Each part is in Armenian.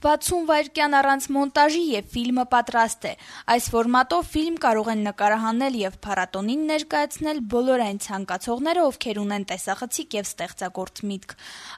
60 վայրկյան առանց մոնտաժի եւ ֆիլմը պատրաստ է։ Այս ֆորմատով ֆիլմ կարող են նկարահանել եւ փառատոնին ներկայացնել բոլոր այն ցանկացողները, ովքեր ունեն տեսախցիկ եւ ստեղծագործ միտք։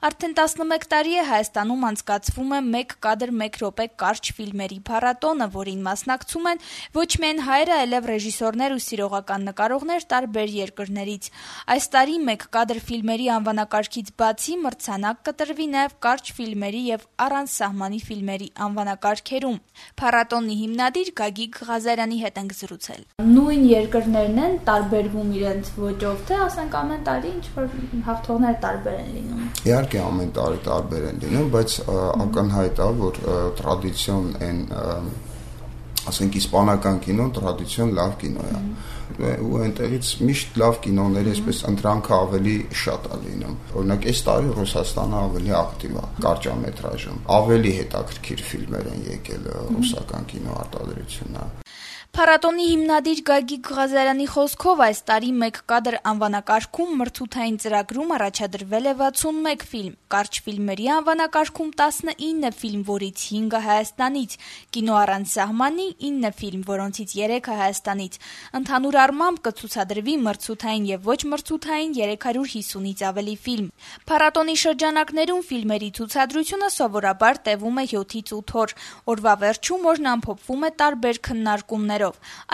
Արդեն 11 տարի է Հայաստանում անցկացվում է 1 կադր 1 րոպե կարճ ֆիլմերի փառատոնը, որին մասնակցում են ոչ միայն հայերը, այլև ռեժիսորներ ու սիրողական նկարողներ տարբեր երկրներից։ Այս տարի 1 կադր ֆիլմերի անվանակարգից բացի մրցանակ կտրվի նաեւ կարճ ֆիլմերի եւ առանց սահմանի ֆիլմերի անվանակարգերում։ Փառատոնի հիմնադիր Գագիկ Ղազարյանի հետ ենք զրուցել։ Նույն երկրներն են տարբերվում իրենց ոճով, թե ասենք ամեն տարի ինչ-որ հաղթողները տարբեր են լինում։ Իհարկե ամեն տարի տարբեր են լինում, բայց ակնհայտ է, որ տրադիցիոն այն ասենք իսպանական կինոն տրադիցիոն լավ կինո է, ու այնտեղից միշտ լավ կինոների այսպես ընտրանքը ավելի շատ է լինում։ Օրինակ այս տարի Ռուսաստանը ավելի ակտիվ է կարճամետրաժում, ավելի հետաքրքիր ֆիլմեր են եկել ռուսական կինո արտադրությունը։ Փառատոնի հիմնադիր Գագիկ Ղազարյանի խոսքով այս տարի 1 կադր անվանակարգում մրցութային ծրագրում առաջադրվել է 61 ֆիլմ, կարճ ֆիլմերի անվանակարգում 19 ֆիլմ, որից 5-ը Հայաստանից, կինո առանց սահմանի 9 ֆիլմ, որոնցից 3-ը Հայաստանից։ Ընդհանուր առմամբ կցուցադրվի մրցութային եւ ոչ մրցութային 350-ից ավելի ֆիլմ։ Փառատոնի շրջանակներում ֆիլմերի ցուցադրությունը սովորաբար տևում է 7-ից 8 օր։ Օրվա վերջում օրն ամփոփվում է տարբեր քննարկումներով։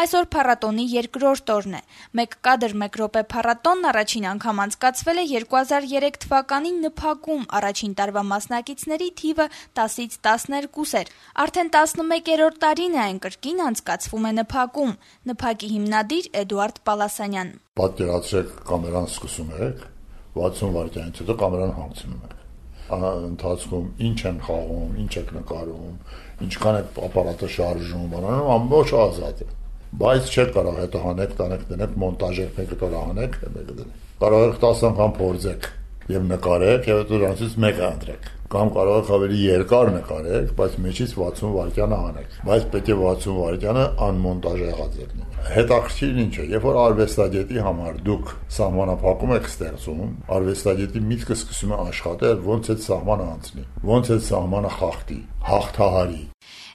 Այսօր փառատոնի երկրորդ օրն է։ 1 կադր 1 րոպե փառատոնն առաջին անգամ անցկացվել է 2003 թվականին ՆՓԱԿ-ում, առաջին տարվա մասնակիցների թիվը 10-ից 12 էր։ Արդեն 11-րդ տարին է այն կրկին անցկացվում է ՆՓԱԿ-ում։ ՆՓԱԿ-ի հիմնադիր Էդուարդ Պալասանյան։ Պատկերացրեք, կամերան սկսում եք, 60 վայրկյանից հետո կամերան հանգցնում եք։ Ընթացքում ինչ են խաղում, ինչ եք նկարում, ինչքան եք ապարատը շարժում, բանանում ամբողջ ազատ է։ Բայց չեք կարող հետո հանեք, տանեք, դնեք, մոնտաժեք, մեկը կարող հանեք, մեկը դնեք։ Կարող եք 10 անգամ փորձեք եւ նկարեք, եւ հետո դրանից մեկը ընտրեք։ Կամ կարող եք ավելի երկար նկարեք, բայց մեջից 60 վայրկյանը հանեք։ Բայց պետք է 60 վայրկյանը անմոնտաժ եղած լինի։ Հետաքրքիրն ինչ է, երբ որ արվեստագետի համար դուք սահմանափակում եք ստեղծում, արվեստագետի միտքը սկսում է աշխատել, ոնց այդ սահմանը անցնի, ոնց այդ սահմանը խախտի, հաղթահարի։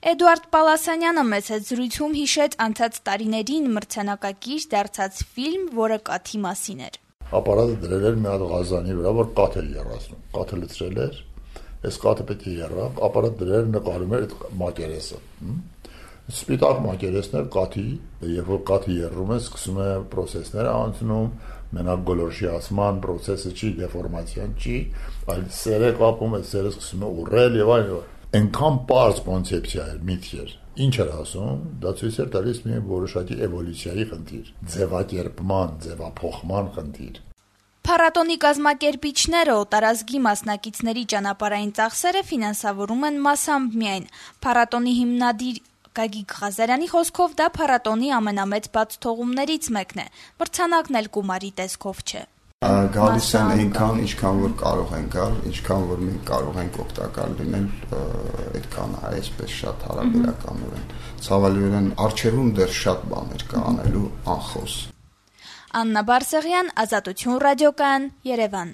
Էդուարդ Պալասանյանը մեծ հետ զրույցում հիշեց անցած տարիներին մրցանակակիր դարձած ֆիլմ, որը կաթի մասին էր։ Ապարատը դրել էր մի հատ ղազանի վրա, որ կաթ էր եռացնում, կաթը լցրել էր, այս կաթը պետք է եռա, ապարատ դրել նկարում էր այդ մակերեսը։ Սպիտակ մակերեսներ կաթի, երբ որ կաթը եռում է, սկսում է պրոցեսները անցնում, մենակ գոլորշիացման պրոցեսը չի, դեֆորմացիան չի, այլ սերը կապում է, սերը սկսում է ուռել եւ այլն։ Այնքան պարզ կոնցեպցիա էր, միտք էր։ Ինչ էր ասում, դա ցույց էր տալիս մի որոշակի էվոլյուցիայի խնդիր, ձևակերպման, ձևափոխման խնդիր։ Փառատոնի կազմակերպիչները օտարազգի մասնակիցների ճանապարհային ծախսերը ֆինանսավորում են մասամբ միայն։ Փառատոնի հիմնադիր Գագիկ Ղազարյանի խոսքով դա փառատոնի ամենամեծ բացթողումներից մեկն է։ Մրցանակն էլ գումարի տեսքով չէ։ Գալիս են այնքան, ինչքան որ կարող են գալ, ինչքան որ մենք կարող ենք օգտակար լինել, այդքան է, այսպես շատ հարաբերականորեն։ Ցավալիորեն արխիվում դեռ շատ բաներ կա անելու անխոս։ Աննա Բարսեղյան, Ազատություն ռադիոկայան, Երևան։